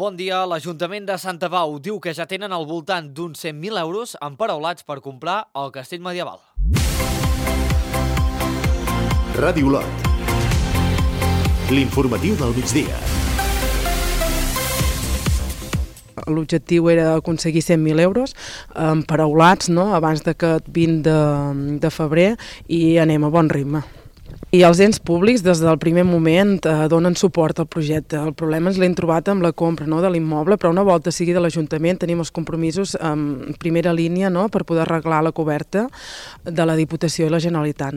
Bon dia. L'Ajuntament de Santa Pau diu que ja tenen al voltant d'uns 100.000 euros emparaulats per comprar el castell medieval. Ràdio Lot. L'informatiu del migdia. L'objectiu era aconseguir 100.000 euros emparaulats abans d'aquest 20 de febrer i anem a bon ritme. I els ens públics des del primer moment donen suport al projecte. El problema ens l'hem trobat amb la compra de l'immoble, però una volta sigui de l'Ajuntament tenim els compromisos en primera línia per poder arreglar la coberta de la Diputació i la Generalitat.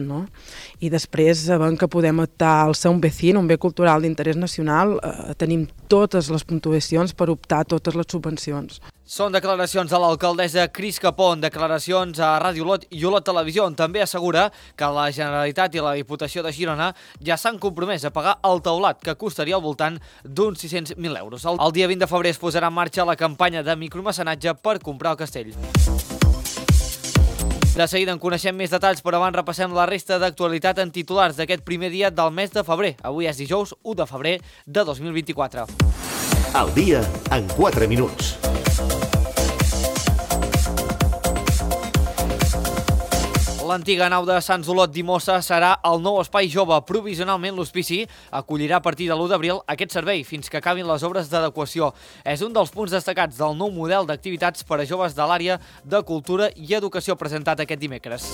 I després, sabent que podem optar al ser un vecino, un bé cultural d'interès nacional, tenim totes les puntuacions per optar a totes les subvencions. Són declaracions de l'alcaldessa Cris Capó, declaracions a Ràdio Lot i Olot Televisió, on també assegura que la Generalitat i la Diputació de Girona ja s'han compromès a pagar el teulat, que costaria al voltant d'uns 600.000 euros. El dia 20 de febrer es posarà en marxa la campanya de micromecenatge per comprar el castell. De seguida en coneixem més detalls, però abans repassem la resta d'actualitat en titulars d'aquest primer dia del mes de febrer. Avui és dijous 1 de febrer de 2024. Al dia en 4 minuts. L'antiga nau de Sants Olot d'Imossa serà el nou espai jove. Provisionalment l'hospici acollirà a partir de l'1 d'abril aquest servei fins que acabin les obres d'adequació. És un dels punts destacats del nou model d'activitats per a joves de l'àrea de cultura i educació presentat aquest dimecres.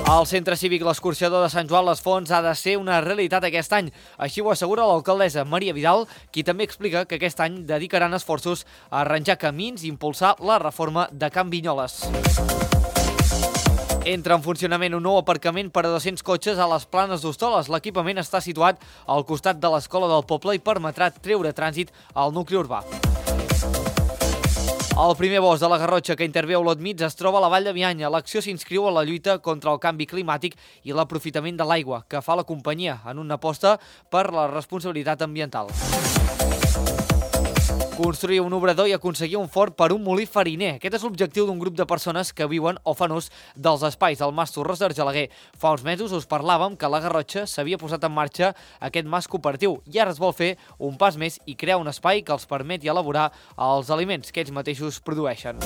El Centre Cívic L'Escorxador de Sant Joan les Fonts ha de ser una realitat aquest any. Així ho assegura l'alcaldessa Maria Vidal, qui també explica que aquest any dedicaran esforços a arranjar camins i impulsar la reforma de Can Vinyoles. Entra en funcionament un nou aparcament per a 200 cotxes a les Planes d'Hostoles. L'equipament està situat al costat de l'escola del poble i permetrà treure trànsit al nucli urbà. El primer bosc de la Garrotxa que intervé a Olot Mig es troba a la Vall de Bianya. L'acció s'inscriu a la lluita contra el canvi climàtic i l'aprofitament de l'aigua que fa la companyia en una aposta per la responsabilitat ambiental. Construir un obrador i aconseguir un forn per un molí fariner. Aquest és l'objectiu d'un grup de persones que viuen o fan ús dels espais del Mas Torres d'Argelaguer. Fa uns mesos us parlàvem que a la Garrotxa s'havia posat en marxa aquest mas cooperatiu i ara es vol fer un pas més i crear un espai que els permeti elaborar els aliments que ells mateixos produeixen.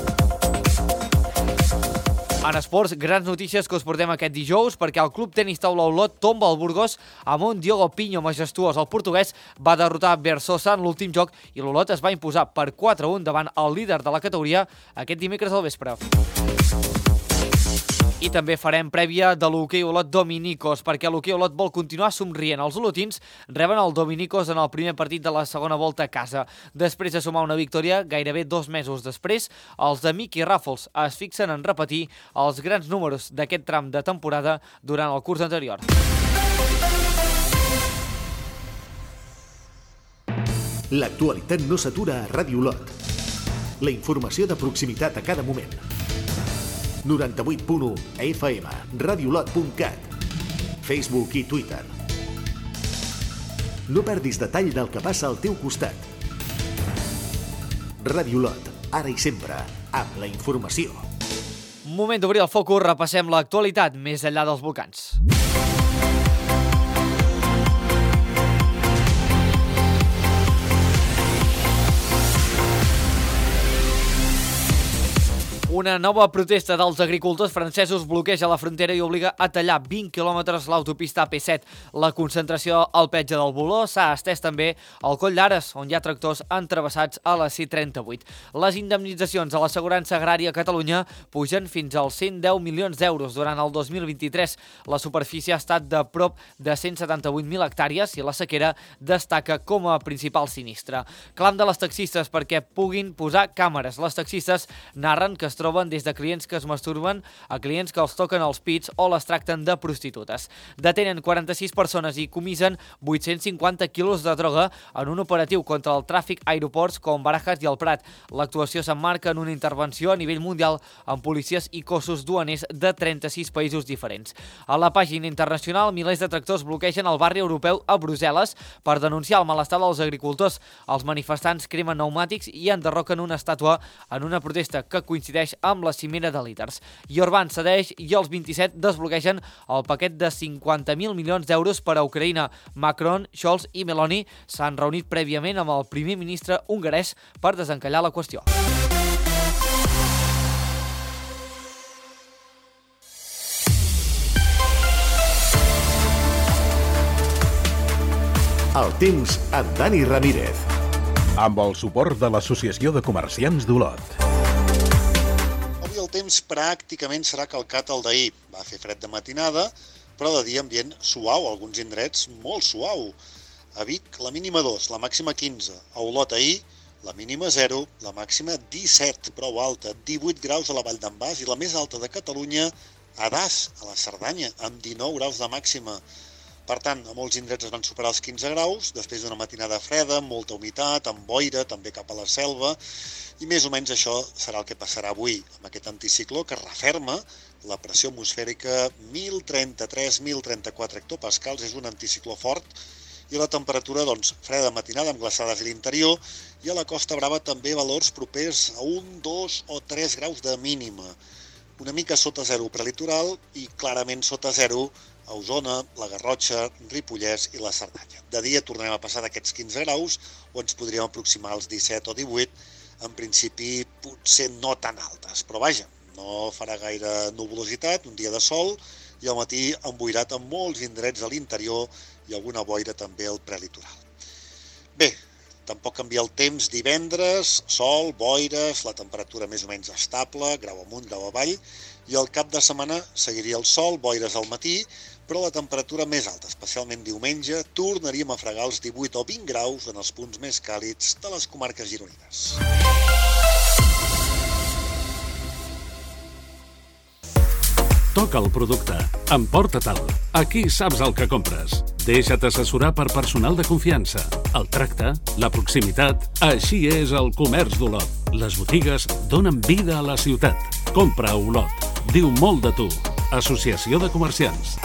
En esports, grans notícies que us portem aquest dijous perquè el Club Tenis Taula Olot tomba el Burgos amb un Diogo Pinho majestuós. El portuguès va derrotar Bersosa en l'últim joc i l'Olot es va imposar per 4-1 davant el líder de la categoria aquest dimecres al vespre. I també farem prèvia de l'hoquei Olot Dominicos, perquè l'hoquei Olot vol continuar somrient. Els olotins reben el Dominicos en el primer partit de la segona volta a casa. Després de sumar una victòria, gairebé 2 mesos després, els de Miqui Ràfols es fixen en repetir els grans números d'aquest tram de temporada durant el curs anterior. L'actualitat no s'atura a Ràdio Lot. La informació de proximitat a cada moment. 98.1 FM, radiolot.cat, Facebook i Twitter. No perdis detall del que passa al teu costat. Ràdio Lot, ara i sempre, amb la informació. Moment d'obrir el focus, repassem l'actualitat més enllà dels volcans. Una nova protesta dels agricultors francesos bloqueja la frontera i obliga a tallar 20 quilòmetres l'autopista AP7. La concentració al petge del Boló s'ha estès també al Coll d'Ares, on hi ha tractors entravessats a la C38. Les indemnitzacions a l'assegurança agrària a Catalunya pugen fins als 110 milions d'euros durant el 2023. La superfície ha estat de prop de 178.000 hectàrees i la sequera destaca com a principal sinistre. Clam de les taxistes perquè puguin posar càmeres. Les taxistes narren que es troben des de clients que es masturben a clients que els toquen els pits o les tracten de prostitutes. Detenen 46 persones i comisen 850 quilos de droga en un operatiu contra el tràfic a aeroports com Barajas i el Prat. L'actuació s'emmarca en una intervenció a nivell mundial amb policies i cossos duaners de 36 països diferents. A la pàgina internacional, milers de tractors bloquegen el barri europeu a Brussel·les per denunciar el malestar dels agricultors. Els manifestants cremen pneumàtics i enderroquen una estàtua en una protesta que coincideix amb la cimera de líders. Yorban cedeix i els 27 desbloquegen el paquet de 50.000 milions d'euros per a Ucraïna. Macron, Scholz i Meloni s'han reunit prèviament amb el primer ministre hongarès per desencallar la qüestió. El temps amb Dani Ramírez. Amb el suport de l'Associació de Comerciants d'Olot. Avui el temps pràcticament serà calcat al d'ahir. Va fer fred de matinada, però de dia ambient suau, alguns indrets molt suau. A Vic, la mínima 2, la màxima 15. A Olot ahir, la mínima 0, la màxima 17, prou alta, 18 graus a la Vall d'en Bas i la més alta de Catalunya, a Das, a la Cerdanya, amb 19 graus de màxima. Per tant, a molts indrets es van superar els 15 graus, després d'una matinada freda, amb molta humitat, amb boira, també cap a la selva, i més o menys això serà el que passarà avui, amb aquest anticicló que referma la pressió atmosfèrica 1033-1034 hectopascals, és un anticicló fort, i la temperatura, freda matinada amb glaçades a l'interior, i a la Costa Brava també valors propers a 1, 2 o 3 graus de mínima. Una mica sota zero prelitoral i clarament sota zero a Osona, la Garrotxa, Ripollès i la Cerdanya. De dia tornarem a passar d'aquests 15 graus o ens podríem aproximar als 17 o 18, en principi potser no tan altes, però vaja, no farà gaire nuvolositat, un dia de sol i al matí emboirat amb molts indrets a l'interior i alguna boira també al prelitoral. Bé, tampoc canvia el temps divendres, sol, boires, la temperatura més o menys estable, grau amunt, grau avall, i al cap de setmana seguiria el sol, boires al matí, però la temperatura més alta, especialment diumenge, tornaríem a fregar els 18 o 20 graus en els punts més càlids de les comarques gironines. Toca el producte, emporta-te'l. Aquí saps el que compres. Deixa't assessorar per personal de confiança. El tracte, la proximitat, així és el comerç d'Olot. Les botigues donen vida a la ciutat. Compra a Olot. Diu molt de tu. Associació de Comerciants.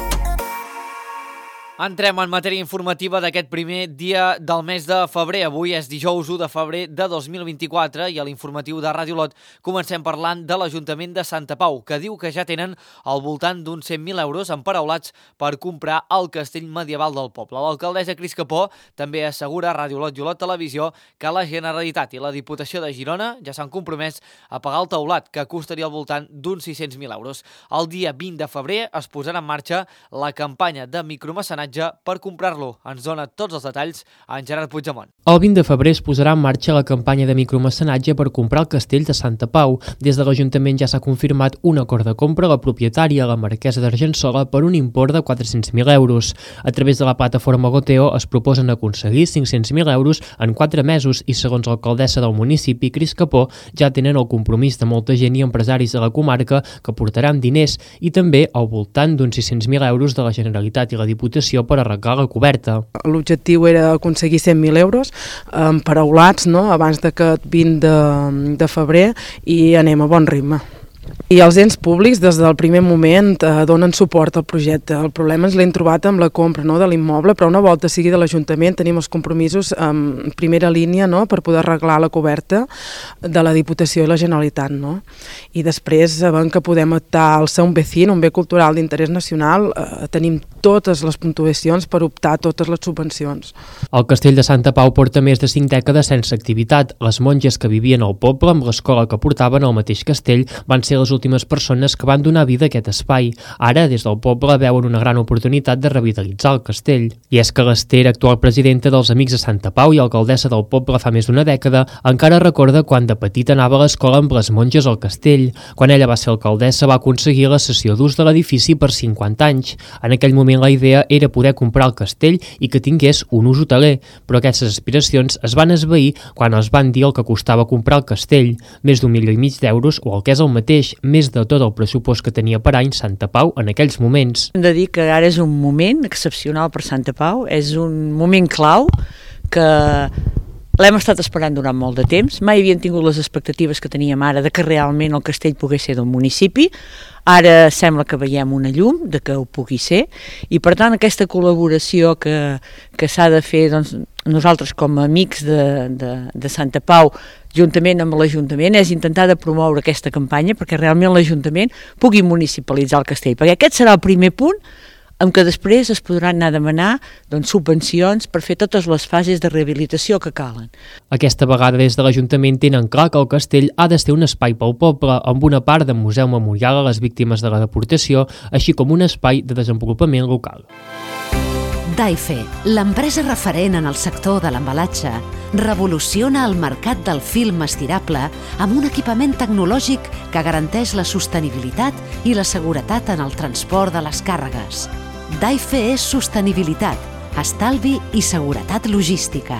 Entrem en matèria informativa d'aquest primer dia del mes de febrer. Avui és dijous 1 de febrer de 2024 i a l'informatiu de Ràdio Olot comencem parlant de l'Ajuntament de Santa Pau, que diu que ja tenen al voltant d'uns 100.000 euros emparaulats per comprar el castell medieval del poble. L'alcaldessa Cris Capó també assegura a Ràdio Olot i Olot Televisió que la Generalitat i la Diputació de Girona ja s'han compromès a pagar el teulat, que costaria al voltant d'uns 600.000 euros. El dia 20 de febrer es posarà en marxa la campanya de micromecenatge per comprar-lo. Ens dona tots els detalls en Gerard Puigdemont. El 20 de febrer es posarà en marxa la campanya de micromecenatge per comprar el castell de Santa Pau. Des de l'Ajuntament ja s'ha confirmat un acord de compra a la propietària, la marquesa d'Argençola, per un import de 400.000 euros. A través de la plataforma Goteo es proposen aconseguir 500.000 euros en 4 mesos i, segons l'alcaldessa del municipi, Cris Capó, ja tenen el compromís de molta gent i empresaris de la comarca que portaran diners i també al voltant d'uns 600.000 euros de la Generalitat i la Diputació per arreglar la coberta. L'objectiu era aconseguir 100.000 euros emparaulats, abans d'aquest 20 de febrer, i anem a bon ritme. I els ens públics des del primer moment donen suport al projecte. El problema ens l'hem trobat amb la compra de l'immoble, però una volta sigui de l'Ajuntament tenim els compromisos en primera línia per poder arreglar la coberta de la Diputació i la Generalitat. I després, sabent que podem optar al ser un vecino, un bé cultural d'interès nacional, tenim totes les puntuacions per optar a totes les subvencions. El castell de Santa Pau porta més de 5 dècades sense activitat. Les monges que vivien al poble amb l'escola que portaven al mateix castell van ser les últimes persones que van donar vida a aquest espai. Ara, des del poble, veuen una gran oportunitat de revitalitzar el castell. I és que l'Ester, actual presidenta dels Amics de Santa Pau i alcaldessa del poble fa més d'una dècada, encara recorda quan de petita anava a l'escola amb les monges al castell. Quan ella va ser alcaldessa va aconseguir la cessió d'ús de l'edifici per 50 anys. En aquell moment la idea era poder comprar el castell i que tingués un ús hoteler, però aquestes aspiracions es van esvair quan es van dir el que costava comprar el castell, més d'1,5 milió d'euros o el que és el mateix, més de tot el pressupost que tenia per any Santa Pau en aquells moments. Hem de dir que ara és un moment excepcional per Santa Pau, és un moment clau que L'hem estat esperant durant molt de temps, mai havien tingut les expectatives que teníem ara de que realment el castell pogués ser del municipi. Ara sembla que veiem una llum de que ho pugui ser i per tant aquesta col·laboració que s'ha de fer, doncs, nosaltres com a amics de Santa Pau juntament amb l'Ajuntament és intentar de promoure aquesta campanya perquè realment l'Ajuntament pugui municipalitzar el castell, perquè aquest serà el primer punt amb què després es podran anar a demanar subvencions per fer totes les fases de rehabilitació que calen. Aquesta vegada des de l'Ajuntament tenen clar que el castell ha de ser un espai pel poble amb una part de museu memorial a les víctimes de la deportació, així com un espai de desenvolupament local. Daife, l'empresa referent en el sector de l'embalatge, revoluciona el mercat del film estirable amb un equipament tecnològic que garanteix la sostenibilitat i la seguretat en el transport de les càrregues. Daife és sostenibilitat, estalvi i seguretat logística.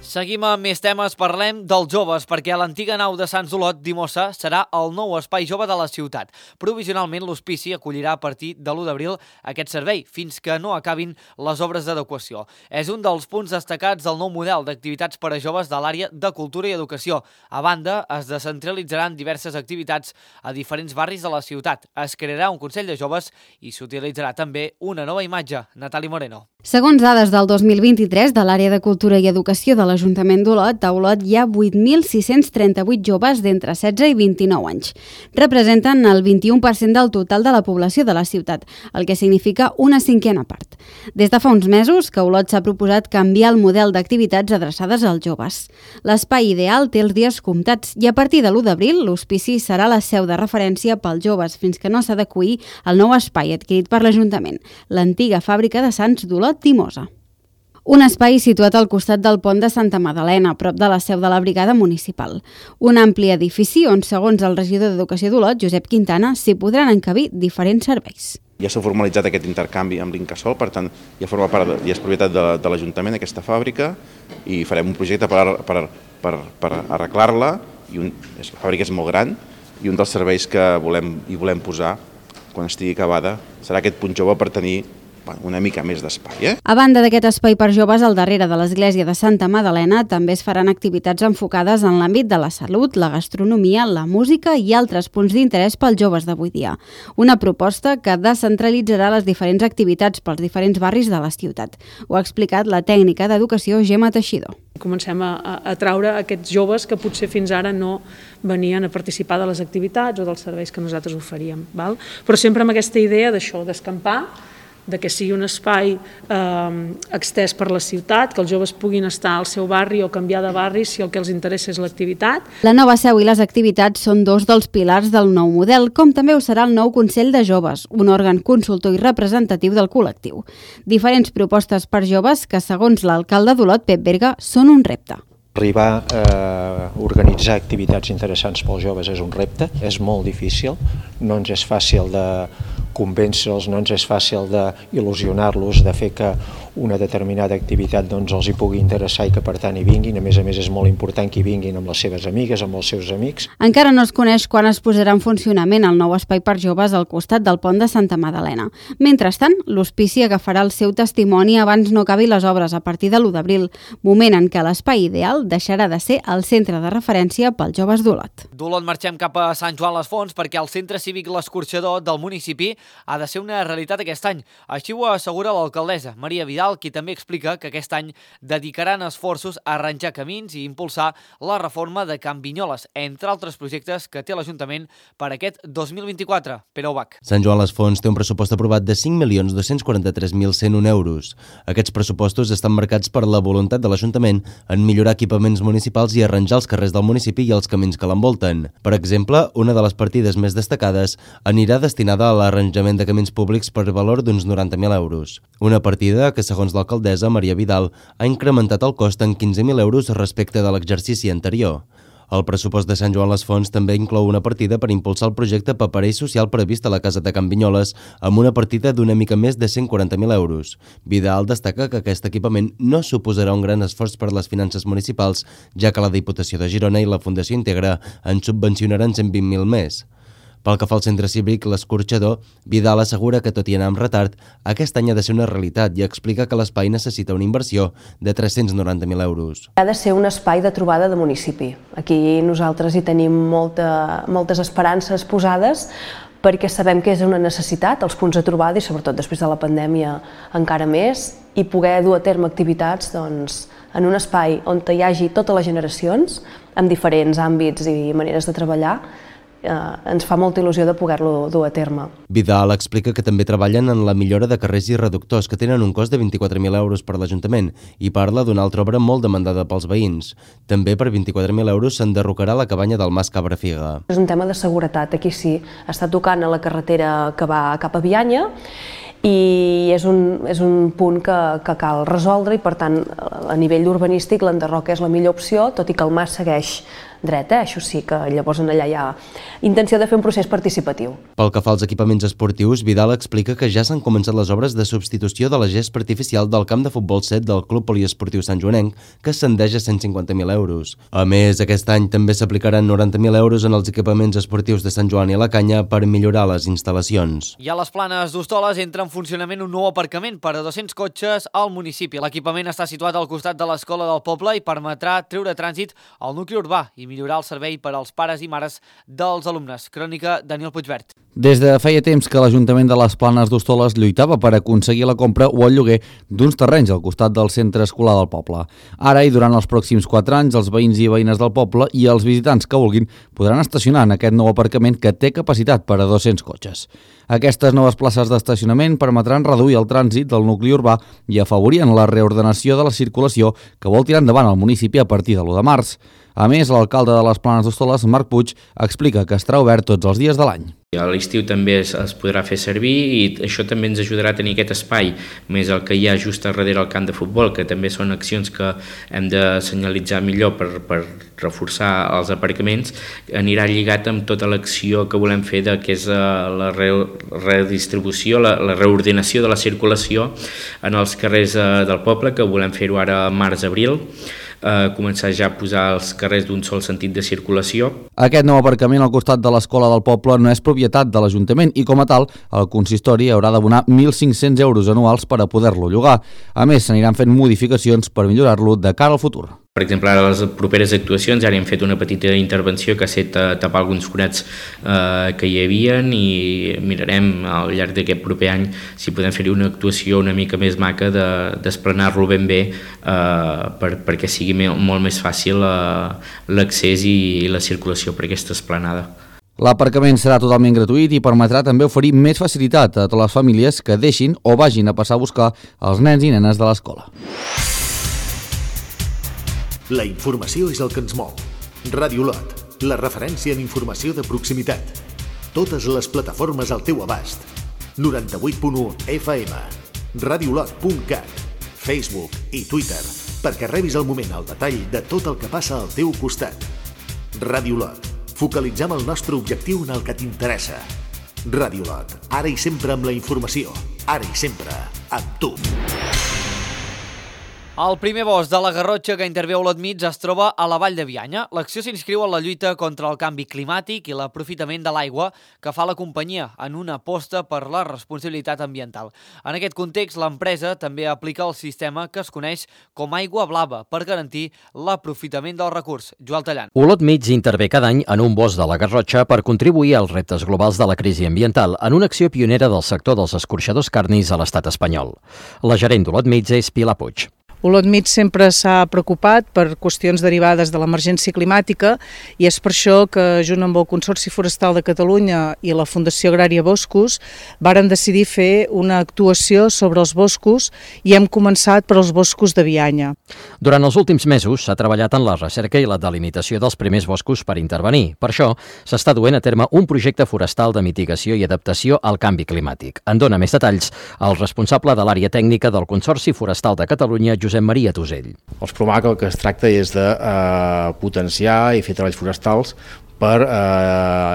Seguim amb més temes, parlem dels joves, perquè l'antiga nau de Sants d'Olot d'Imossa serà el nou espai jove de la ciutat. Provisionalment, l'hospici acollirà a partir de l'1 d'abril aquest servei, fins que no acabin les obres d'adequació. És un dels punts destacats del nou model d'activitats per a joves de l'àrea de cultura i educació. A banda, es descentralitzaran diverses activitats a diferents barris de la ciutat. Es crearà un Consell de Joves i s'utilitzarà també una nova imatge. Natali Moreno. Segons dades del 2023 de l'àrea de cultura i educació de l'Ajuntament d'Olot, a Olot hi ha 8.638 joves d'entre 16 i 29 anys. Representen el 21% del total de la població de la ciutat, el que significa una cinquena part. Des de fa uns mesos que Olot s'ha proposat canviar el model d'activitats adreçades als joves. L'espai ideal té els dies comptats i a partir de l'1 d'abril l'hospici serà la seu de referència pels joves fins que no s'adeqüi al nou espai adquirit per l'Ajuntament, l'antiga fàbrica de Sants d'Olot d'Imossa. Un espai situat al costat del pont de Santa Madalena, a prop de la seu de la brigada municipal. Un ampli edifici on, segons el regidor d'Educació d'Olot, Josep Quintana, s'hi podran encabir diferents serveis. Ja s'ha formalitzat aquest intercanvi amb l'Incasòl, per tant, ja forma part, ja és propietat de l'Ajuntament, aquesta fàbrica, i farem un projecte per arreglar-la. La fàbrica és molt gran i un dels serveis que volem posar quan estigui acabada serà aquest punt jove per tenir una mica més d'espai. A banda d'aquest espai per joves, al darrere de l'església de Santa Madalena també es faran activitats enfocades en l'àmbit de la salut, la gastronomia, la música i altres punts d'interès pels joves d'avui dia. Una proposta que descentralitzarà les diferents activitats pels diferents barris de la ciutat. Ho ha explicat la tècnica d'educació Gemma Teixidor. Comencem a atraure aquests joves que potser fins ara no venien a participar de les activitats o dels serveis que nosaltres oferíem. Però sempre amb aquesta idea d'això, d'escampar, de que sigui un espai extès per la ciutat, que els joves puguin estar al seu barri o canviar de barri si el que els interessa és l'activitat. La nova seu i les activitats són dos dels pilars del nou model, com també ho serà el nou Consell de Joves, un òrgan consultor i representatiu del col·lectiu. Diferents propostes per joves que, segons l'alcalde d'Olot, Pep Berga, són un repte. Arribar a organitzar activitats interessants pels joves és un repte, és molt difícil, no ens és fàcil de convèncer-los, no ens és fàcil d'il·lusionar-los, de fer que una determinada activitat els hi pugui interessar i que per tant hi vinguin. A més és molt important que hi vinguin amb les seves amigues, amb els seus amics. Encara no es coneix quan es posarà en funcionament el nou espai per joves al costat del pont de Santa Madalena. Mentrestant, l'hospici agafarà el seu testimoni abans no acabi les obres a partir de l'1 d'abril, moment en què l'espai ideal deixarà de ser el centre de referència pels joves d'Olot. D'Olot marxem cap a Sant Joan les Fonts perquè el centre cívic L'Escorxador del municipi ha de ser una realitat aquest any. Així ho assegura l'alcaldessa Maria Vidal, qui també explica que aquest any dedicaran esforços a arranjar camins i impulsar la reforma de Can Vinyoles, entre altres projectes que té l'Ajuntament per aquest 2024. Pere Ubach. Sant Joan les Fonts té un pressupost aprovat de 5.243.101 euros. Aquests pressupostos estan marcats per la voluntat de l'Ajuntament en millorar equipaments municipals i arranjar els carrers del municipi i els camins que l'envolten. Per exemple, una de les partides més destacades anirà destinada a l'arranjament de camins públics per valor d'uns 90.000 euros. Una partida que, segons l'alcaldessa Maria Vidal, ha incrementat el cost en 15.000 euros respecte de l'exercici anterior. El pressupost de Sant Joan les Fonts també inclou una partida per impulsar el projecte paperell social previst a la Casa de Can Vinyoles amb una partida d'una mica més de 140.000 euros. Vidal destaca que aquest equipament no suposarà un gran esforç per les finances municipals, ja que la Diputació de Girona i la Fundació Integra en subvencionaran 120.000 més. Pel que fa al centre cívic, l'Escorxador, Vidal assegura que, tot i anar amb retard, aquest any ha de ser una realitat i explica que l'espai necessita una inversió de 390.000 euros. Ha de ser un espai de trobada de municipi. Aquí nosaltres hi tenim moltes esperances posades, perquè sabem que és una necessitat, els punts de trobada, i sobretot després de la pandèmia encara més, i poder dur a terme activitats en un espai on hi hagi totes les generacions, amb diferents àmbits i maneres de treballar, ens fa molta il·lusió de poder-lo dur a terme. Vidal explica que també treballen en la millora de carrers i reductors, que tenen un cost de 24.000 euros per l'Ajuntament, i parla d'una altra obra molt demandada pels veïns. També per 24.000 euros s'enderrocarà la cabanya del Mas Cabrafiga. És un tema de seguretat, aquí sí, està tocant a la carretera que va cap a Bianya, i és un punt que cal resoldre, i per tant a nivell urbanístic l'enderroc és la millor opció, tot i que el mas segueix dret, això sí que llavors allà hi ha intenció de fer un procés participatiu. Pel que fa als equipaments esportius, Vidal explica que ja s'han començat les obres de substitució de la gespa artificial del camp de futbol 7 del Club Poliesportiu Sant Joanenc, que ascendeix a 150.000 euros. A més, aquest any també s'aplicaran 90.000 euros en els equipaments esportius de Sant Joan i la Canya per millorar les instal·lacions. I a les Planes d'Hostoles entra en funcionament un nou aparcament per a 200 cotxes al municipi. L'equipament està situat al costat de l'escola del poble i permetrà treure trànsit al nucli urbà i millorar el servei per als pares i mares dels alumnes. Crònica Daniel Puigvert. Des de feia temps que l'Ajuntament de les Planes d'Hostoles lluitava per aconseguir la compra o el lloguer d'uns terrenys al costat del centre escolar del poble. Ara i durant els pròxims 4 anys, els veïns i veïnes del poble i els visitants que vulguin podran estacionar en aquest nou aparcament que té capacitat per a 200 cotxes. Aquestes noves places d'estacionament permetran reduir el trànsit del nucli urbà i afavorien la reordenació de la circulació que vol tirar endavant el municipi a partir de l'1 de març. A més, l'alcalde de les Planes d'Hostoles, Marc Puig, explica que estarà obert tots els dies de l'any. A l'estiu també es podrà fer servir i això també ens ajudarà a tenir aquest espai, més el que hi ha just darrere el camp de futbol, que també són accions que hem de senyalitzar millor per reforçar els aparcaments. Anirà lligat amb tota l'acció que volem fer que és la redistribució, la reordenació de la circulació en els carrers del poble, que volem fer-ho ara març-abril. Començar ja a posar els carrers d'un sol sentit de circulació. Aquest nou aparcament al costat de l'escola del poble no és propietat de l'Ajuntament i, com a tal, el consistori haurà d'abonar 1.500 euros anuals per a poder-lo llogar. A més, s'aniran fent modificacions per millorar-lo de cara al futur. Per exemple, ara a les properes actuacions ara hem fet una petita intervenció que ha estat tapar alguns forats que hi havia i mirarem al llarg d'aquest proper any si podem fer-hi una actuació una mica més maca d'esplanar-lo ben bé perquè sigui molt més fàcil l'accés i la circulació per aquesta esplanada. L'aparcament serà totalment gratuït i permetrà també oferir més facilitat a totes les famílies que deixin o vagin a passar a buscar els nens i nenes de l'escola. La informació és el que ens mou. Ràdio Lot, la referència en informació de proximitat. Totes les plataformes al teu abast. 98.1 FM, radiolot.cat, Facebook i Twitter, perquè rebis al moment el detall de tot el que passa al teu costat. Ràdio Lot, focalitzem el nostre objectiu en el que t'interessa. Ràdio Lot, ara i sempre amb la informació, ara i sempre amb tu. El primer bosc de la Garrotxa que intervé a Olot Mig es troba a la Vall de Bianya. L'acció s'inscriu en la lluita contra el canvi climàtic i l'aprofitament de l'aigua que fa la companyia en una aposta per la responsabilitat ambiental. En aquest context, l'empresa també aplica el sistema que es coneix com aigua blava per garantir l'aprofitament del recurs. Joel Tallant. Olot Mig intervé cada any en un bosc de la Garrotxa per contribuir als reptes globals de la crisi ambiental en una acció pionera del sector dels escorxadors carnis a l'estat espanyol. La gerent d'Olot Mig és Pilar Puig. Olot Mig sempre s'ha preocupat per qüestions derivades de l'emergència climàtica i és per això que, junt amb el Consorci Forestal de Catalunya i la Fundació Agrària Boscos, varen decidir fer una actuació sobre els boscos i hem començat per als boscos de Bianya. Durant els últims mesos s'ha treballat en la recerca i la delimitació dels primers boscos per intervenir. Per això s'està duent a terme un projecte forestal de mitigació i adaptació al canvi climàtic. En dona més detalls el responsable de l'àrea tècnica del Consorci Forestal de Catalunya, Josep Maria Tusell. Els PROMAC el que es tracta és de potenciar i fer treballs forestals per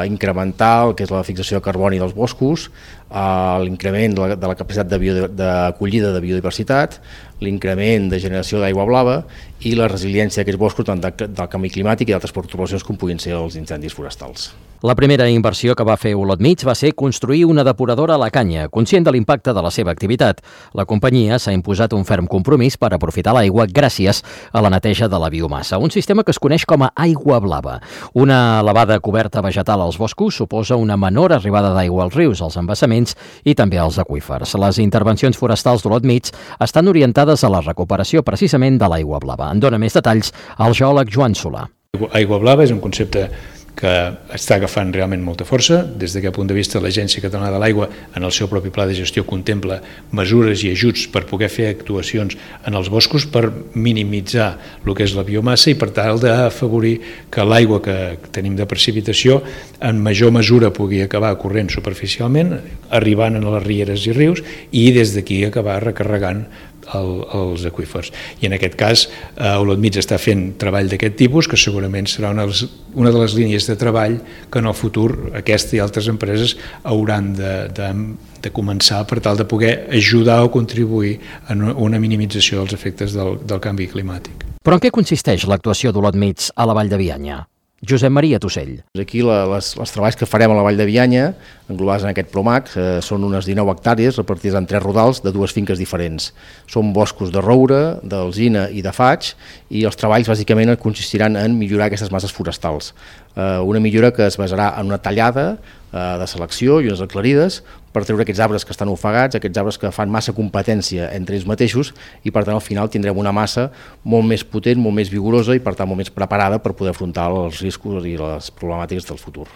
incrementar el que és la fixació de carboni dels boscos, l'increment de la capacitat d'acollida de biodiversitat, l'increment de generació d'aigua blava i la resiliència d'aquests boscos tant del canvi climàtic i d'altres pertorbacions com puguin ser els incendis forestals. La primera inversió que va fer Olot Mig va ser construir una depuradora a la Canya, conscient de l'impacte de la seva activitat. La companyia s'ha imposat un ferm compromís per aprofitar l'aigua gràcies a la neteja de la biomassa, un sistema que es coneix com a aigua blava. Una elevada coberta vegetal als boscos suposa una menor arribada d'aigua als rius, als embassaments i també als aqüífers. Les intervencions forestals d'Olot Mig estan orientades a la recuperació precisament de l'aigua blava. En dona més detalls el geòleg Joan Solà. Aigua blava és un concepte que està agafant realment molta força. Des d'aquest punt de vista, l'Agència Catalana de l'Aigua, en el seu propi pla de gestió, contempla mesures i ajuts per poder fer actuacions en els boscos per minimitzar el que és la biomassa i per tal d'afavorir que l'aigua que tenim de precipitació en major mesura pugui acabar corrent superficialment, arribant a les rieres i rius i des d'aquí acabar recarregant els aqüífers. I en aquest cas, Olot Mig està fent treball d'aquest tipus, que segurament serà una de les línies de treball que en el futur aquesta i altres empreses hauran de començar per tal de poder ajudar o contribuir a una minimització dels efectes del canvi climàtic. Però en què consisteix l'actuació d'Olot Mig a la Vall de Bianya? Josep Maria Tussell. Aquí els treballs que farem a la Vall de Bianya, englobats en aquest PROMAC, són unes 19 hectàrees repartides en 3 rodals de 2 finques diferents. Són boscos de roure, d'alzina i de faig, i els treballs bàsicament consistiran en millorar aquestes masses forestals. Una millora que es basarà en una tallada de selecció i unes aclarides per treure aquests arbres que estan ofegats, aquests arbres que fan massa competència entre ells mateixos i per tant al final tindrem una massa molt més potent, molt més vigorosa i per tant molt més preparada per poder afrontar els riscos i les problemàtiques del futur.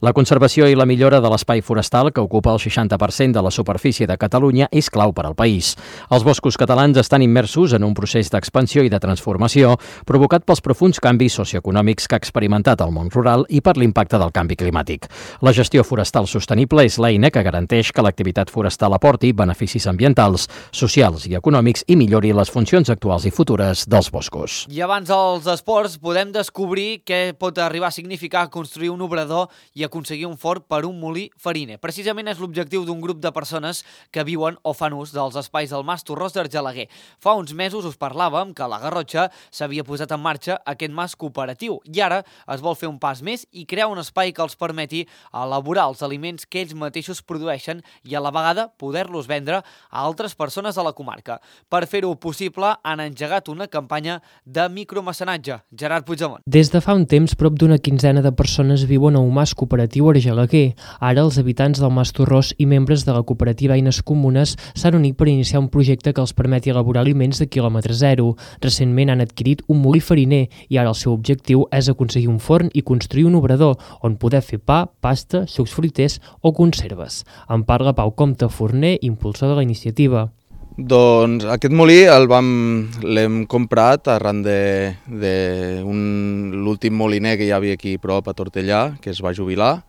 La conservació i la millora de l'espai forestal, que ocupa el 60% de la superfície de Catalunya, és clau per al país. Els boscos catalans estan immersos en un procés d'expansió i de transformació provocat pels profunds canvis socioeconòmics que ha experimentat el món rural i per l'impacte del canvi climàtic. La gestió forestal sostenible és l'eina que garanteix que l'activitat forestal aporti beneficis ambientals, socials i econòmics i millori les funcions actuals i futures dels boscos. I abans dels esports podem descobrir què pot arribar a significar construir un obrador i aconseguir un forn per un molí fariner. Precisament és l'objectiu d'un grup de persones que viuen o fan ús dels espais del Mas Torrós d'Argelaguer. Fa uns mesos us parlàvem que a la Garrotxa s'havia posat en marxa aquest mas cooperatiu i ara es vol fer un pas més i crear un espai que els permeti elaborar els aliments que ells mateixos produeixen i a la vegada poder-los vendre a altres persones de la comarca. Per fer-ho possible han engegat una campanya de micromecenatge. Gerard Puigdemont. Des de fa un temps, prop d'una quinzena de persones viuen a un mas cooperatiu a Argelaguer. Ara els habitants del Mas Torrós i membres de la cooperativa Eines Comunes s'han unit per iniciar un projecte que els permeti elaborar aliments de quilòmetre zero. Recentment han adquirit un molí fariner i ara el seu objectiu és aconseguir un forn i construir un obrador on poder fer pa, pasta, sucs fruiters o conserves. En parla Pau Comte Forner, impulsor de la iniciativa. Doncs aquest molí l'hem comprat arran de l'últim moliner que hi havia aquí prop a Tortellà, que es va jubilar.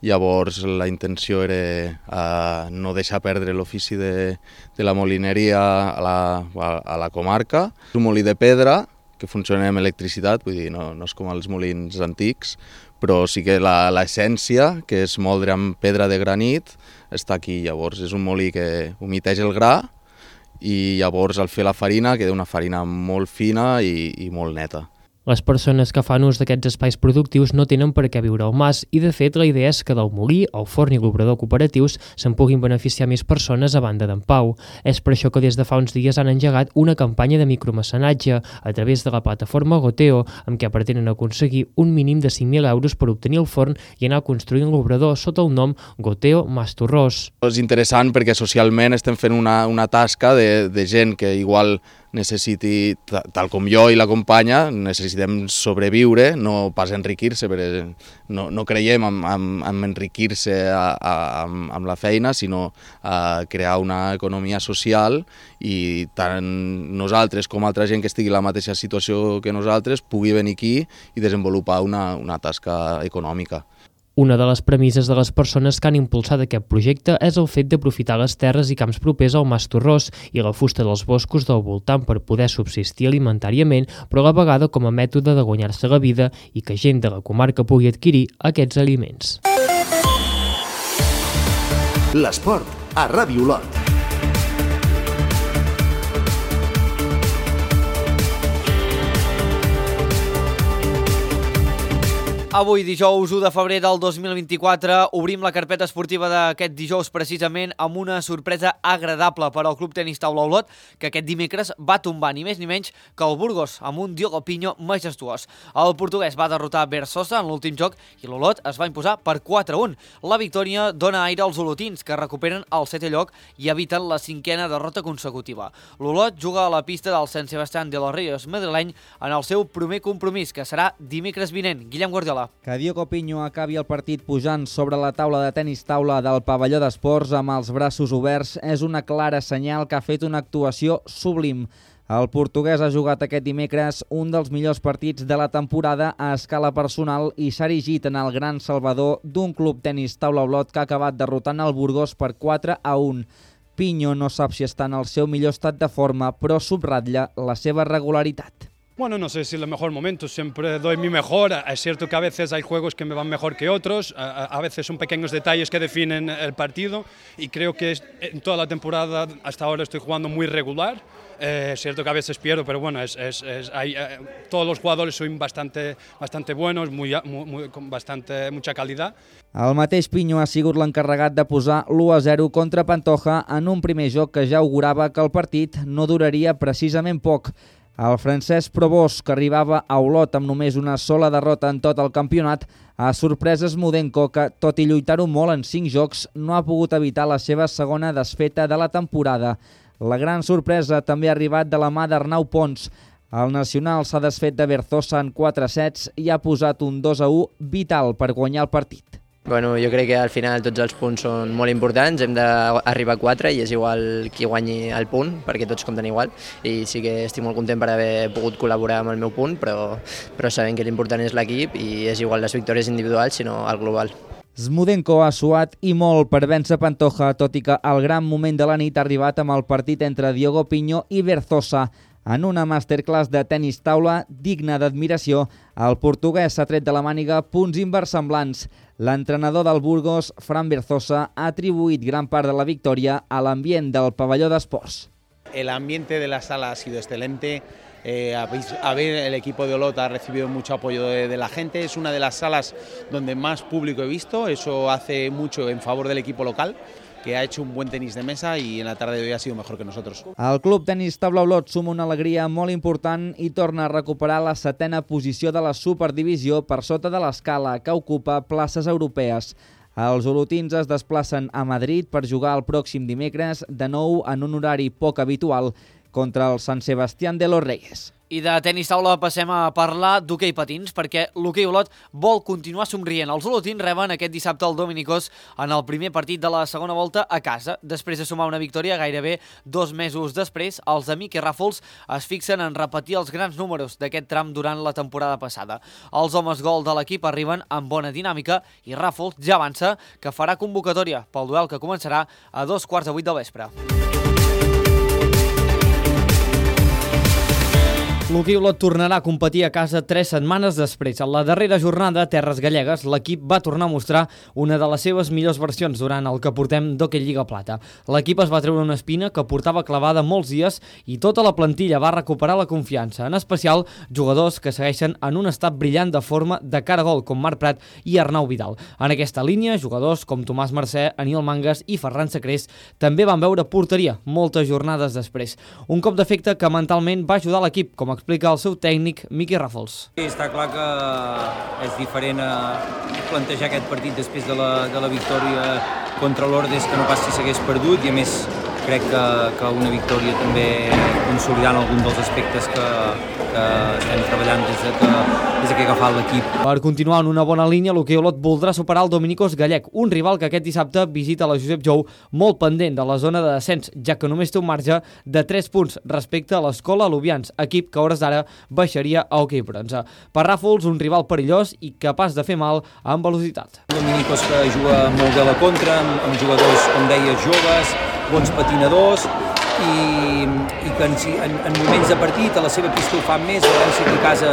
Llavors la intenció era no deixar perdre l'ofici de la molineria a la comarca. És un molí de pedra que funciona amb electricitat, vull dir, no és com els molins antics, però sí que l'essència, que és moldre amb pedra de granit, està aquí. Llavors és un molí que humiteja el gra i llavors al fer la farina queda una farina molt fina i molt neta. Les persones que fan ús d'aquests espais productius no tenen per què viure al mas i, de fet, la idea és que del molí, el forn i l'obrador cooperatius se'n puguin beneficiar més persones a banda d'en Pau. És per això que des de fa uns dies han engegat una campanya de micromecenatge a través de la plataforma Goteo, amb què pretenen aconseguir un mínim de 5.000 euros per obtenir el forn i anar construint l'obrador sota el nom Goteo Mas Torrós. És interessant perquè socialment estem fent una tasca de gent que igual necessiti, tal com jo i la companya, necessitem sobreviure, no pas enriquir-se, perquè no creiem en enriquir-se amb la feina, sinó crear una economia social i tant nosaltres com altra gent que estigui en la mateixa situació que nosaltres pugui venir aquí i desenvolupar una tasca econòmica. Una de les premisses de les persones que han impulsat aquest projecte és el fet d'aprofitar les terres i camps propers al Mas Torrós i la fusta dels boscos del voltant per poder subsistir alimentàriament, però a la vegada com a mètode de guanyar-se la vida i que gent de la comarca pugui adquirir aquests aliments. L'esport a Ràdio Olot. Avui, dijous 1 de febrer del 2024, obrim la carpeta esportiva d'aquest dijous precisament amb una sorpresa agradable per al Club Tenis Taula Olot, que aquest dimecres va tombar ni més ni menys que el Burgos amb un Diogo Pinho majestuós. El portuguès va derrotar Berzosa en l'últim joc i l'Olot es va imposar per 4-1. La victòria dona aire als olotins, que recuperen el 7è lloc i eviten la 5a derrota consecutiva. L'Olot juga a la pista del Sant Sebastián de los Ríos madrileny en el seu primer compromís, que serà dimecres vinent. Guillem Guardiola. Que Diogo Pinho acabi el partit pujant sobre la taula de tenis taula del pavelló d'esports amb els braços oberts és una clara senyal que ha fet una actuació sublim. El portuguès ha jugat aquest dimecres un dels millors partits de la temporada a escala personal i s'ha erigit en el gran salvador d'un Club Tenis Taula Olot que ha acabat derrotant el Burgos per 4-1. Pinho no sap si està en el seu millor estat de forma, però subratlla la seva regularitat. Bueno, no sé si es el mejor momento, siempre doy mi mejor, es cierto que a veces hay juegos que me van mejor que otros, a veces son pequeños detalles que definen el partido y creo que en toda la temporada hasta ahora estoy jugando muy regular, es cierto que a veces pierdo, pero bueno, todos los jugadores son bastante buenos, con mucha calidad. El mateix Pinho ha sigut l'encarregat de posar l'1-0 contra Pantoja en un primer joc que ja augurava que el partit no duraria precisament poc. El francès Probós, que arribava a Olot amb només una sola derrota en tot el campionat, ha sorprès Smudenko, que, tot i lluitar-ho molt en 5 jocs, no ha pogut evitar la seva segona desfeta de la temporada. La gran sorpresa també ha arribat de la mà d'Arnau Pons. El nacional s'ha desfet de Berzosa en 4 sets i ha posat un 2-1 vital per guanyar el partit. Bueno, jo crec que al final tots els punts són molt importants, hem d'arribar a 4 i és igual qui guanyi el punt, perquè tots compten igual, i sí que estic molt content per haver pogut col·laborar amb el meu punt, però sabem que l'important és l'equip i és igual les victòries individuals, sinó el global. Smudenko ha suat i molt per vèncer Pantoja, tot i que el gran moment de la nit ha arribat amb el partit entre Diogo Pinho i Berzosa. En una masterclass de tenis taula digna d'admiració, el portuguès s'ha tret de la màniga punts inversemblants. L'entrenador del Burgos, Fran Berzosa, ha atribuït gran part de la victòria a l'ambient del pavelló d'esports. El ambiente de la sala ha sido excelente. El equipo de Olot ha recibido mucho apoyo de la gente. Es una de las salas donde más público he visto. Eso hace mucho en favor del equipo local, que ha hecho un buen tenis de mesa y en la tarde de hoy ha sido mejor que nosotros. El Club Tenis Taula Olot suma una alegria molt important i torna a recuperar la 7a posició de la Superdivisió per sota de l'escala, que ocupa places europees. Els olotins es desplacen a Madrid per jugar el pròxim dimecres, de nou en un horari poc habitual, contra el Sant Sebastián de los Reyes. I de tenis taula passem a parlar d'hoquei patins, perquè l'hoquei Olot vol continuar somrient. Els olotins reben aquest dissabte el Dominicós en el primer partit de la segona volta a casa. Després de sumar una victòria gairebé 2 mesos després, els amics i Ràfols es fixen en repetir els grans números d'aquest tram durant la temporada passada. Els homes gol de l'equip arriben amb bona dinàmica i Ràfols ja avança que farà convocatòria pel duel que començarà a 7:15 del vespre. L'hoquei Olot tornarà a competir a casa 3 setmanes després. En la darrera jornada a Terres Gallegues, l'equip va tornar a mostrar una de les seves millors versions durant el que portem d'Hoquei Lliga Plata. L'equip es va treure una espina que portava clavada molts dies i tota la plantilla va recuperar la confiança, en especial jugadors que segueixen en un estat brillant de forma de cara a gol, com Marc Prat i Arnau Vidal. En aquesta línia, jugadors com Tomàs Mercè, Aniol Mangas i Ferran Sacrés també van veure porteria moltes jornades després. Un cop d'efecte que mentalment va ajudar l'equip, com explica el seu tècnic, Miqui Ràfols. Sí, està clar que és diferent plantejar aquest partit després de la victòria contra l'Ordes, que no pas si s'hagués perdut, i a més crec que una victòria també consolidant algun dels aspectes que estem treballant des que he agafat l'equip. Per continuar en una bona línia, l'hoquei Olot voldrà superar el Dominicós Gallec, un rival que aquest dissabte visita la Josep Jou molt pendent de la zona de descens, ja que només té un marge de 3 punts respecte a l'Escola Alubians, equip que a hores d'ara baixaria a hoquei bronze. Per Ràfols, un rival perillós i capaç de fer mal amb velocitat. Dominicós que juga molt bé a la contra, amb jugadors, com deies, joves, bons patinadors, i que en moments de partit a la seva pista ho fan més, a València i a casa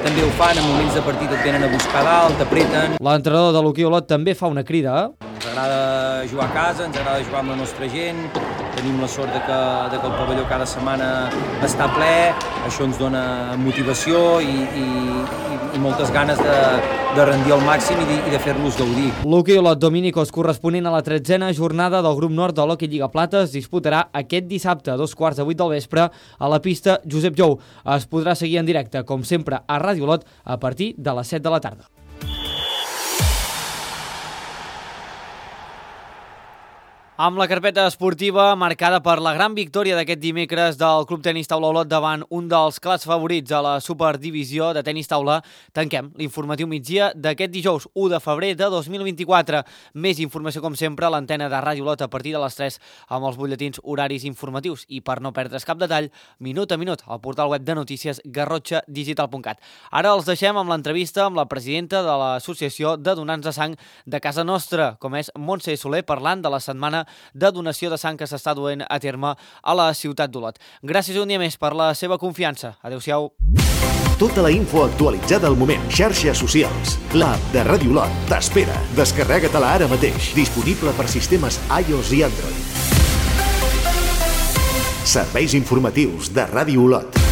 també ho fan, en moments de partit et venen a buscar dalt, t'apreten. L'entrenador de l'hoquei Olot també fa una crida. Ens agrada jugar a casa, ens agrada jugar amb la nostra gent, tenim la sort de que el pavelló cada setmana està ple, això ens dona motivació i moltes ganes de rendir al màxim i de fer-los gaudir. L'hoquei Olot Dominicos, corresponent a la 13a jornada del grup nord de l'Hockey Lliga Plata, es disputarà aquest dissabte a 7:15 del vespre a la pista Josep Jou. Es podrà seguir en directe, com sempre, a Ràdio Olot a partir de les 7 de la tarda. Amb la carpeta esportiva marcada per la gran victòria d'aquest dimecres del Club Tenis Taula Olot davant un dels clars favorits a la Superdivisió de Tenis Taula, tanquem l'informatiu migdia d'aquest dijous 1 de febrer de 2024. Més informació, com sempre, a l'antena de Ràdio Olot a partir de les 3 amb els butlletins horaris informatius i, per no perdre's cap detall, minut a minut al portal web de notícies garrotxadigital.cat. Ara els deixem amb l'entrevista amb la presidenta de l'Associació de Donants de Sang de casa nostra, com és Montse Soler, parlant de la setmana de donació de sang que s'està duent a terme a la ciutat d'Olot. Gràcies un dia més per la seva confiança. Adéu-siau. Tota la info actualitzada al moment. Xarxes socials. L'app de Ràdio Olot t'espera. Descarrega-te-la ara mateix. Disponible per sistemes iOS i Android. Serveis informatius de Ràdio Olot.